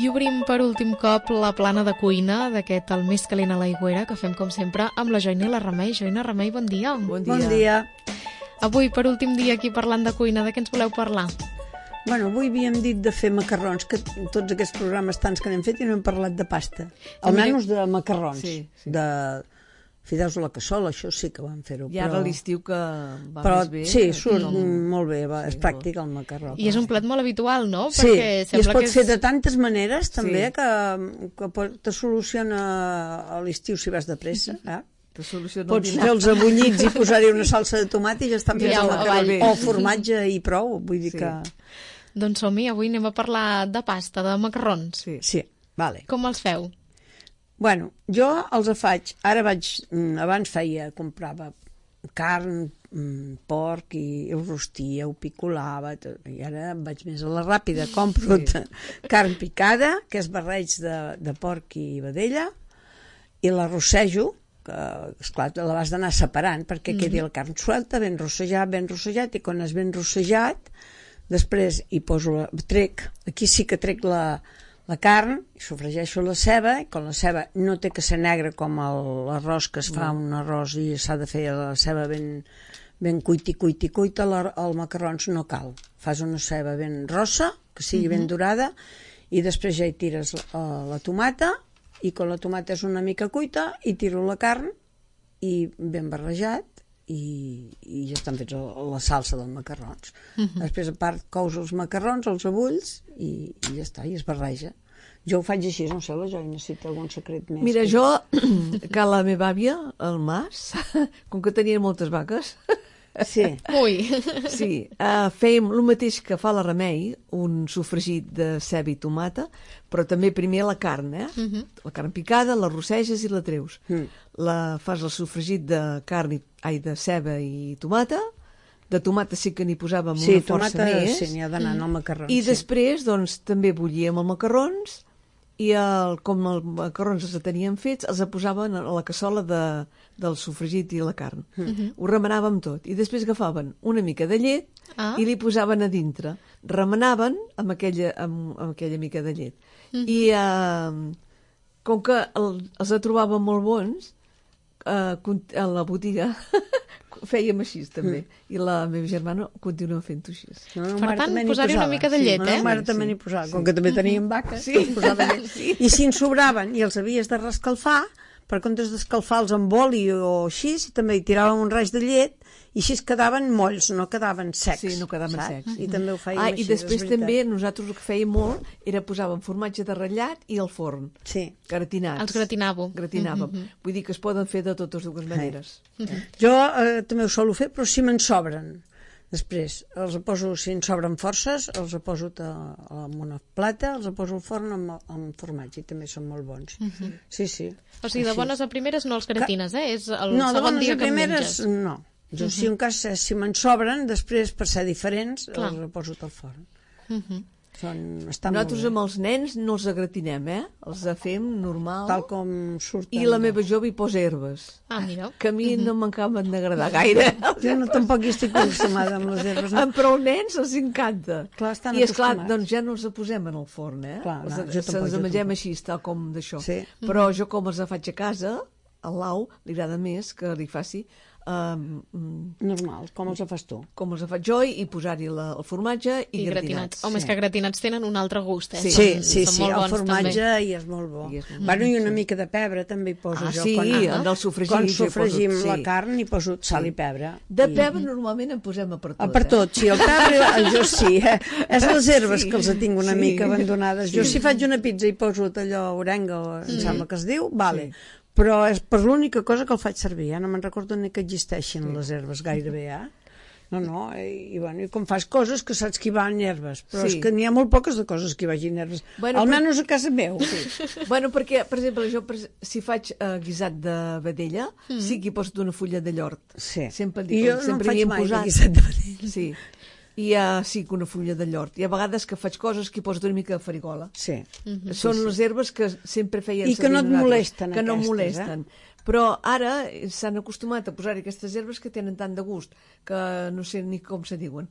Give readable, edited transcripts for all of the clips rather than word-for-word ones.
I obrim per últim cop la plana de cuina d'aquest El més calent a l'aigüera, que fem com sempre amb la Joina i la Remei. Joina, Remei, bon dia. Bon dia. Bon dia. Avui, per últim dia aquí parlant de cuina, de què ens voleu parlar? Bueno, avui havíem dit de fer macarrons, que tots aquests programes tants que n'hem fet i no hem parlat de pasta. Almenys de macarrons, sí. de fideus a la cassola, això sí que vam fer-ho. I ara l'estiu que va però més bé. sí, surt molt bé, és pràctic el macarró. I és un plat molt habitual, no? Sí, perquè i es pot fer de és... tantes maneres també que te soluciona a l'estiu si vas de pressa. Pots fer els abullits i posar-hi una salsa de tomat i ja estan fets el macarró. O formatge i prou, vull dir que... Doncs som-hi, avui anem a parlar de pasta, de macarrons. Sí, vale. Com els feu? Bueno, jo els faig, abans comprava carn, porc i ho rostia, ho picolava, i ara vaig més a la ràpida, compro carn picada, que és barreig de porc i vedella, i la rossejo, que esclar, l'has d'anar separant perquè quedi la carn suelta, ben rossejat, i quan és ben rossejat, després hi poso, aquí sí que trec la carn, i sofregeixo la ceba, i quan la ceba no té que ser negra com l'arròs, que es fa un arròs i s'ha de fer la ceba ben cuita, el macarrons no cal. Fas una ceba ben rossa, que sigui ben dorada, i després ja hi tires la tomata, i quan la tomata és una mica cuita, hi tiro la carn, i ben barrejat, i ja estan fets la salsa dels macarrons. Després, a part, cous els macarrons, els abulls, i ja està, i es barreja. Jo ho faig així, no sé, la Joina, si té algun secret més. Mira, jo, que la meva àvia, el Mas, com que tenia moltes vaques... Sí. Ui! Sí, fèiem el mateix que fa la Remei, un sofregit de ceba i tomata, però també primer la carn, La carn picada, la rosseges i la treus. Fas el sofregit de carn, de ceba i tomata. De tomata sí que n'hi posàvem una força més. Sí, n'hi ha d'anar en el macarró. I després, doncs, també bullíem els macarrons, i com els macarrons els tenien fets, els posaven a la cassola del sofregit i la carn. Ho remenàvem tot. I després agafaven una mica de llet i li posaven a dintre. Remenaven amb aquella mica de llet. I com que els trobaven molt bons, a la botiga fèiem així també, i la meva germana continua fent-ho així. Per tant, posar-hi una mica de llet, La mare també n'hi posava, com que també teníem vaques, posava llet. I si en sobraven i els havies de rescalfar, per comptes d'escalfar-los amb oli o així, també hi tiràvem un raig de llet, i així quedaven molls, no quedaven secs. Sí, no quedaven secs. I també ho fèiem així. I després també nosaltres el que fèiem molt era posàvem formatge de ratllat i al forn. Sí. Gratinats. Els gratinàvem. Vull dir que es poden fer de totes dues maneres. Jo també ho solo fer, però si me'n sobren. Després, si en sobren forces, els poso en una plata, els poso al forn amb formatge, i també són molt bons. Sí. O sigui, de bones a primeres no els gratines, És el no, segon dia que menges. No, jo si un cas, si me'n sobren, després per ser diferents, els poso al forn. Nosaltres amb els nens no els agratinem, els fem normal. Tal com surten. I la meva jove hi posa herbes. Mira. Que a mi no m'acaben d'agradar gaire. Jo tampoc hi estic acostumada amb les herbes. Però als nens els encanta. Clar, estan I esclar, doncs ja no els posem en el forn, Se'ns mengem així, tal com d'això. Però jo com els faig a casa, al Lau li agrada més que li faci normal, com els fas tu. Com els faig jo, i posar-hi el formatge i gratinats. Home, és que gratinats tenen un altre gust, Sí, el formatge i és molt bo. Bueno, i una mica de pebre també hi poso jo. Del sofregit. Quan sofregim la carn hi poso sal i pebre. De pebre normalment en posem a per tot. Per tot, sí, el pebre jo sí. És les herbes que els tinc una mica abandonades. Jo si faig una pizza i poso allò orenga, em sembla que es diu, vale. Però és per l'única cosa que el faig servir, no me'n recordo ni que existeixin les herbes gairebé, No, i com fas coses que saps que hi van herbes, però és que n'hi ha molt poques de coses que hi vagin herbes, almenys a casa meu. Bueno, perquè, per exemple, jo si faig guisat de vedella, sí que hi poso una fulla de llort. Sempre dic, jo no en faig mai de guisat de vedella. Sí. I sí que una fulla de llort. I a vegades que faig coses que hi poso una mica de farigola. Són les herbes que sempre feien servir. I que no et molesten, que no molesten. Però ara s'han acostumat a posar aquestes herbes que tenen tant de gust que no sé ni com se diuen.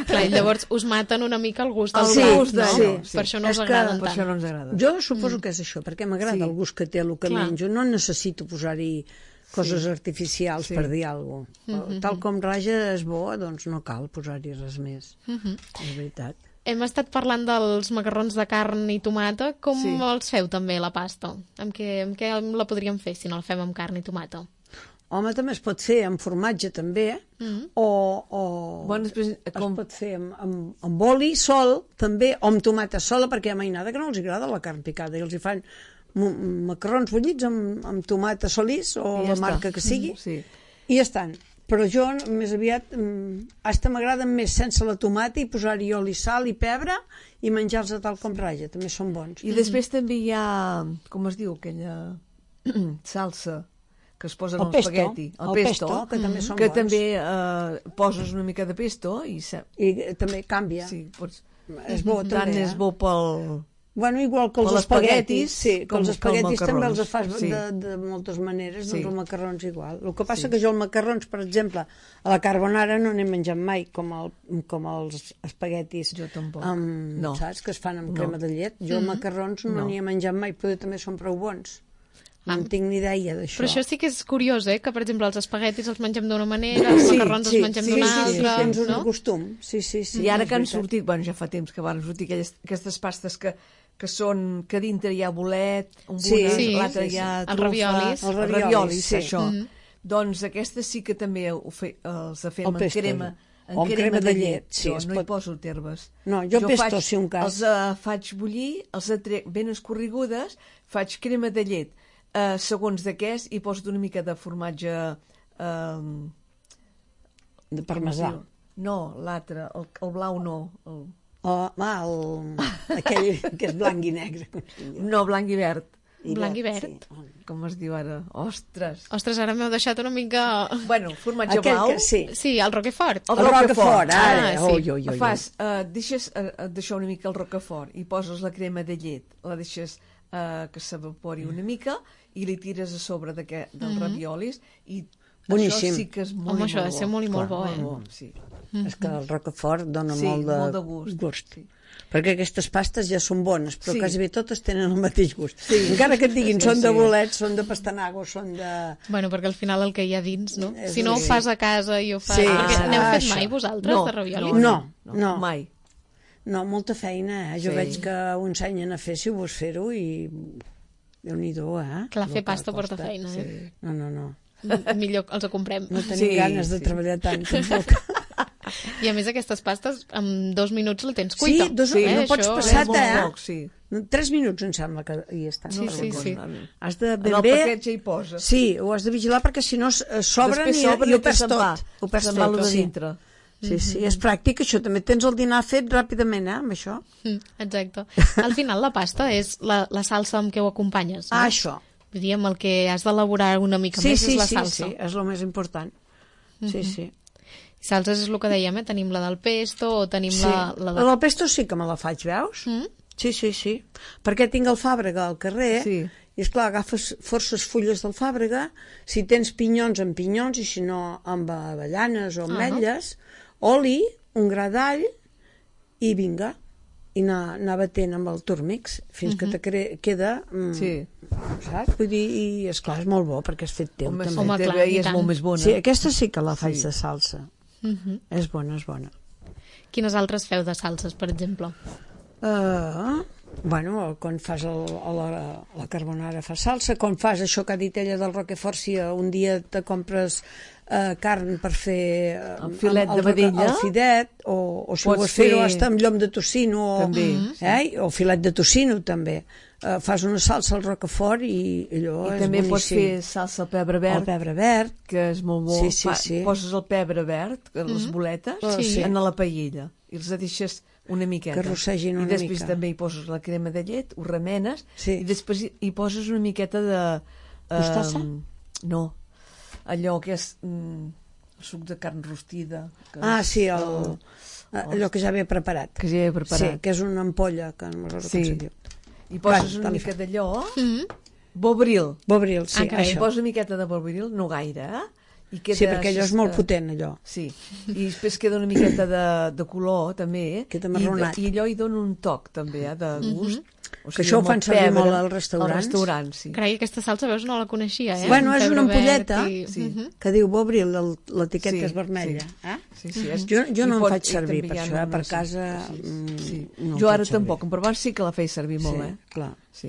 Clar, i llavors us maten una mica el gust del El plat, gust no? d'allò, sí. Per això no us És que- agraden Per això no tant. ens agrada. Jo suposo que és això, perquè m'agrada Sí. el gust que té el que Clar. menjo. No necessito posar-hi coses artificials Sí. per dir alguna cosa. Tal com raja és bo, doncs no cal posar-hi res més. És veritat. Hem estat parlant dels macarrons de carn i tomata. Com Sí. els feu també, la pasta? Amb què la podríem fer si no la fem amb carn i tomata? Home, també es pot fer amb formatge, també, o Bueno, després, es pot fer amb oli sol, també, o amb tomata sola, perquè hi ha mainada que no els agrada la carn picada, i els hi fan macarrons bullits amb tomata solís, o I ja la està. marca que sigui, Sí. i ja estan. Però jo, més aviat, hasta m'agraden més sense la tomata i posar-hi oli, sal i pebre i menjar-los a tal com raja, també són bons. I després també hi ha, com es diu, aquella salsa que es posa en El el pesto, espagueti. el pesto, que també són que bons. també poses una mica de pesto i I també canvia. sí, pots... És bo, tant també. és bo pel... Bueno, igual que els Per espaguetis, sí, que com- els espaguetis com també els macarrons, fas sí. de moltes maneres, doncs Sí. els macarrons igual. El que passa que jo els macarrons, per exemple, a la carbonara no n'he menjat mai, com els espaguetis Jo tampoc. amb, saps, que es fan amb crema de llet. Jo macarrons no n'hi he menjat mai, però també són prou bons. No en tinc ni idea d'això. Però això sí que és curiós, que per exemple els espaguetis els mengem d'una manera, els macarrons els mengem d'una altra, tens un no? costum. Sí. I ara és que han veritat. sortit, bueno, ja fa temps que van sortir aquestes pastes que a dintre hi ha bolet, Sí, l'altre sí, hi ha sí. Els trufa, raviolis. Els els raviolis, raviolis, sí. això. Doncs aquestes sí que també els fem El en pesto, crema, o amb crema de llet, sí, Jo es no pot- hi poso terves. No, jo pesto, si un cas. Els faig bullir, els trec ben escorregudes, faig crema de llet, segons de què és, i poso una mica de formatge... De parmesà. No, l'altre, el blau no. Aquell que és blanc i negre. No, blanc i verd. Blanc i verd. Sí. Com es diu ara? Ostres! Ostres, ara m'heu deixat una mica... Bueno, formatge Aquell blau. que, sí. Sí, el Roquefort. El El Roquefort, ara. Ah, sí. Oi, oi, oi. Fas, deixes d'això una mica el Roquefort i poses la crema de llet, la deixes que s'evapori una mica i li tires a sobre dels raviolis i Boníssim. això sí que és molt, Home, i això ha molt de ser molt i molt bo, Sí, És que el Roquefort dona sí, molt de gust. Sí. Perquè aquestes pastes ja són bones, però Sí. quasi bé totes tenen el mateix gust. Encara que et diguin són de bolets, són de pastanago, són de... Bueno, perquè al final el que hi ha dins, no? És Si no ho sí. fas a casa i ho fas... Sí, Perquè n'heu fet això. mai vosaltres, No, de raviolis? No. Mai. No, molta feina, Jo Sí. veig que ho ensenyen a fer, si vols fer-ho, i... Déu-n'hi-do, Clar, fer El que pasta porta costa. feina, Sí. No. Millor els ho comprem. No tenim Sí, ganes de sí. treballar tant, tampoc. I a més aquestes pastes, en 2 minuts la tens cuita. Sí, no pots Això passar, és- molt poc, sí. 3 minuts em sembla que hi està. Sí, sí, sí. Has de En ben el bé... paquet ja hi poses. Sí, ho has de vigilar perquè si no s'obren Després i s'obren ho perds se'n va. tot. Ho perds Se'n va tot, lo de sí. dintre. Sí, és pràctic això. També tens el dinar fet ràpidament, amb això. Exacte. Al final la pasta és la salsa amb què ho acompanyes. No? Això. Vull dir, amb el que has d'elaborar una mica més és la salsa. Sí, és el més important. Sí. Salses és el que dèiem, Tenim la del pesto o tenim Sí. la La de... del pesto sí que me la faig, veus? Sí. Perquè tinc el fàbrega al carrer Sí. i, esclar, agafes forces fulles del fàbrega, si tens pinyons, amb pinyons, i si no, amb avellanes o ametlles, oli, un gra d'all i vinga. I anar batent amb el turmix fins que te queda... Sí. Saps? Vull dir, i esclar, és molt bo perquè és fet teu, Home, també. Home, sí, clar, TV i és tant. molt més bona. Sí, aquesta sí que la faig Sí. de salsa. És bona. Quines altres feu de salses, per exemple? Bueno, quan fas la carbonara fa salsa, quan fas això que ha dit ella del Roquefort, si un dia te compres carn per fer El filet de vedella. el fidet, o si Pots vols fer-ho fer- hasta amb llom de tocino També. o filet de tocino també, fas una salsa al Roquefort i allò I és també pots boníssim. fer salsa al pebre verd, El pebre verd, que és molt bo. Sí. Poses el pebre verd, les boletes, Sí. en la paella, i els deixes una miqueta. Que rossegin una I després mica. també hi poses la crema de llet, ho remenes, Sí. i després hi poses una miqueta de... Mostassa? No, allò que és suc de carn rostida. Que sí, allò que ja ve preparat. Que ja he preparat. Sí, que és una ampolla, que no recordo com Sí. se diu. I poses Clar, una tal mica d'allò, bobril. Bobril, sí, Ah, carai. I això. poses una miqueta de bobril, no gaire, I queda Sí, perquè allò és molt així, potent, allò. Sí, i després queda una miqueta de color, també, Queda marronat. i allò hi dona un toc, també, de gust. O Que això ho fan servir molt als restaurants. Als restaurants, sí. Carai, aquesta salsa, veus, no la coneixia, eh? Bueno, és Pebre una verd ampolleta i- que diu Bobril, l'etiqueta Sí, és vermella. Sí, sí, Jo no en faig i servir també per hi ha això, per sí, casa... sí. no Jo en ara faig servir. tampoc, en Provence sí que la feia servir molt, Sí, clar. Sí.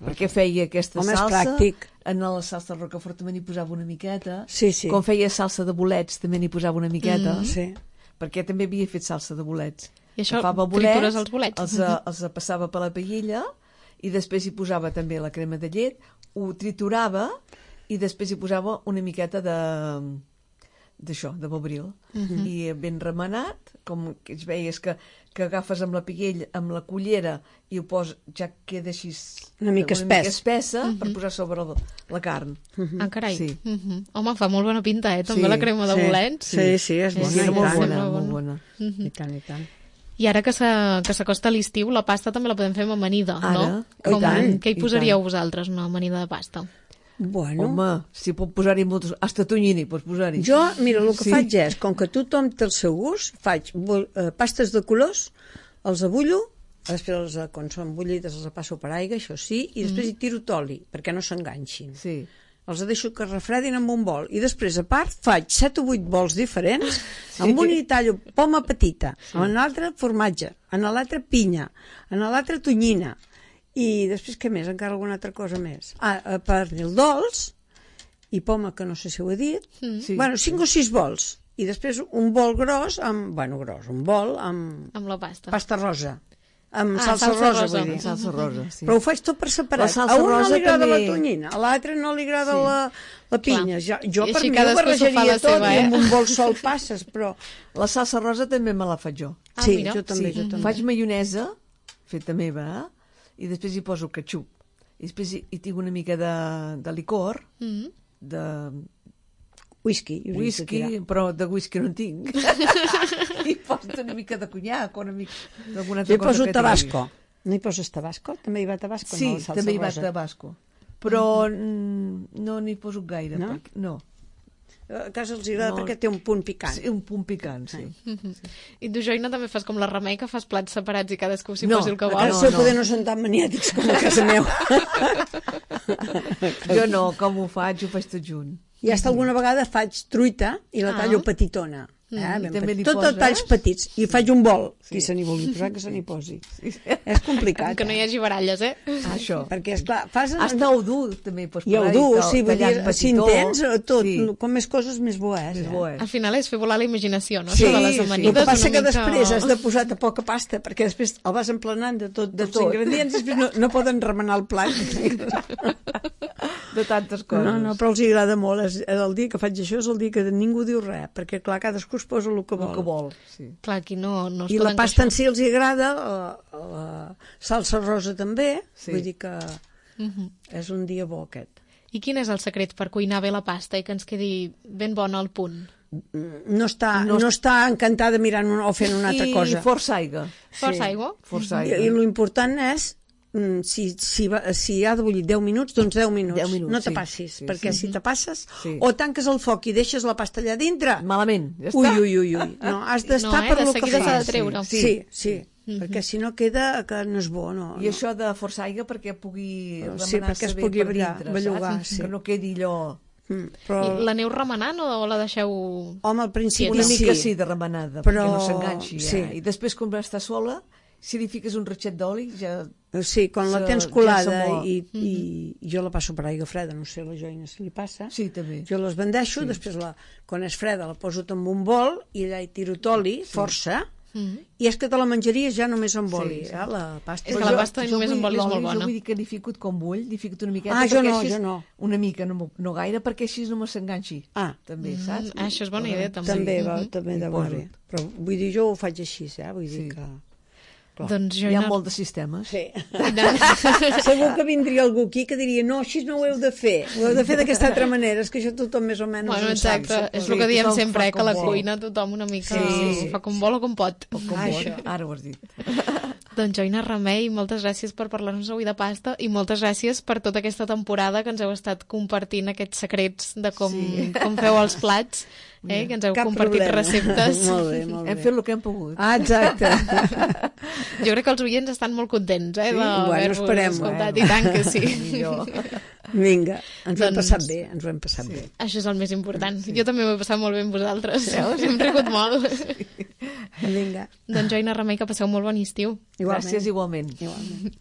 Perquè feia aquesta Home, és salsa, pràctic. en la salsa de Rocafort també n'hi posava una miqueta, Sí, sí. quan feia salsa de bolets també n'hi posava una miqueta, Sí. perquè també havia fet salsa de bolets. I això, Agafava tritures els bolets? els passava per la paella i després hi posava també la crema de llet, ho triturava i després hi posava una miqueta d'això, de bobril. I ben remenat, com que es veies que agafes amb la paella, amb la cullera i ho poses, ja queda així Una mica espessa per posar sobre la carn. Ah, carai. Sí. Home, fa molt bona pinta, també Sí, la crema de bolets. Sí, sí, és bona. Sí, era i molt tant. bona, Sembla molt bona. bona. I tant, i tant. I ara que s'acosta l'estiu, la pasta també la podem fer amb amanida, no? Ara, i tant, Què hi i posaríeu tant. vosaltres, una amanida de pasta? Bueno, Home, si pot posar-hi moltes... Hasta tonyina pots posar-hi. jo, mira, el que Sí. faig és, com que tothom té el seu gust, faig pastes de colors, els abullo, després, quan són bullides, els passo per aigua, això sí, i després hi tiro t'oli, perquè no s'enganxin. Sí. Els deixo que es refredin amb un bol. I després, a part, faig 7 o 8 bols diferents, amb un hi tallo poma petita, en l'altre formatge, en l'altre pinya, en l'altre tonyina. I després, què més? Encara alguna altra cosa més. Pernil dolç i poma, que no sé si ho he dit. Sí. Bueno, 5 o 6 bols. I després un bol gros, un bol amb Amb la pasta. pasta rosa. Amb salsa salsa rosa, rosa. vull dir. Salsa rosa, sí. Però ho faig tot per separat. La salsa A un no rosa li agrada també. la tonyina, a l'altre no li agrada la pinya. Jo I per així mi ho cadascú s'ho fa barrejaria la tot seva, i amb eh? un bol sol passes, però... La salsa rosa també me la faig jo. Ah, sí, mira. jo també, jo també. Faig maionesa, feta meva, i després hi poso ketchup. I després hi tinc una mica de licor, de Whisky. I us he de tirar. whisky, però de whisky no en tinc. I poso una mica de conyac o una mica d'alguna altra Jo hi cosa poso que tabasco. No hi poses tabasco? També hi va tabasco? Sí, no, la salsa també hi va rosa. tabasco. Però no n'hi poso gaire. No? Perquè, no. A casa els agrada No. perquè té un punt picant. Sí, un punt picant, sí. I tu, Joina, també fas com la Remei, que fas plats separats i cadascú s'hi No, posi el que A vol. casa no, seu no. poder no són tan maniàtics com a casa meu. Jo no, com ho faig tot junt. I hasta alguna vegada faig truita i la tallo petitona. Ben també li tot poses? a talls petits. I faig un bol. Qui se n'hi vulgui posar, que se n'hi posi. És complicat. Que no hi hagi baralles, eh? Això. Perquè, esclar, fas... Hasta ho dur, també hi pots I ho posar-hi, dur, sí, vull tallat dir, si petitó. entens, tot, Sí, com més coses, més bo és. més bo és. Al final és fer volar la imaginació, no? Sí, Això de les sí. amanides. El que passa una que mica- després has de posar poca pasta, perquè després el vas emplenant de tots els ingredients i després no poden remenar el plat. De tantes coses. No, però els agrada molt. El dia que faig això és el dia que ningú diu res, perquè, clar, cadascú es posa el que vol. El que vol, sí. Clar, aquí no es I la poden pasta en queixar. si els agrada, la salsa rosa també, Sí. vull dir que és un dia bo aquest. I quin és el secret per cuinar bé la pasta i que ens quedi ben bona al punt? No està encantada mirant o fent una altra cosa. I força aigua. Força aigua? Força I aigua. l'important és si ha de bullir 10 minuts, doncs 10 minuts. 10 minuts, no te sí. passis, Sí, perquè sí. si te passes, Sí. o tanques el foc i deixes la pasta allà dintre, Malament, ja ui, està. ui. No, has d'estar No, per de lo que seguida s'ha de fas. treure. Sí. Perquè si no queda que no és bo, no. I això de força aigua perquè pugui Sí, perquè es pugui bellugar, saps? sí. Que no quedi allò... Però, I l'aneu remenant o la deixeu... home, al principi Una mica sí. sí de remenada, Però- perquè no s'enganxi. sí. I després, quan està sola, si li fiques un ratxet d'oli, ja... Sí, quan la Ja tens colada s'amor. i jo la passo per aigua freda, no sé, la Joina si li passa. Sí, també. Jo les vendeixo, després quan és freda la poso en un bol i allà hi tiro t'oli, força, i és que te la menjaries ja només amb oli, la pasta. És que la pasta només amb oli és molt bona. Jo vull dir que n'hi fico com vull, n'hi fico una miqueta. Ah, jo perquè no, així jo no. Una mica, no gaire, perquè així no me s'enganxi. Ah. També, saps? Això és bona idea, també. També deu anar poso. bé. Però vull dir, jo ho faig així, vull dir que... Clar. Doncs Hi ha molt de sistemes. Sí. Segur que vindria algú aquí que diria no, així no ho heu de fer, ho heu de fer d'aquesta altra manera, és que això tothom més o menys Bueno, en sap. exacte, és Sí, el que diem tothom sempre, fa que la com vol. cuina tothom una mica Sí. fa com vol o com pot. Com Això. vol. Ara ho has dit. Doncs Joina Remei, moltes gràcies per parlar-nos avui de pasta i moltes gràcies per tota aquesta temporada que ens heu estat compartint aquests secrets de com feu els plats, que ens heu compartit receptes. Molt bé, molt bé. Hem fet el que hem pogut. Ah, exacte. Jo crec que els oients estan molt contents Bueno, esperem. escoltat, i tant que sí. Vinga, ens ho hem passat bé, ens ho hem passat bé. Això és el més important. Jo també m'ho he passat molt bé amb vosaltres. Hem rigut molt. Vinga. Doncs Joina Remei, que passeu molt bon estiu. Gràcies igualment. Igualment.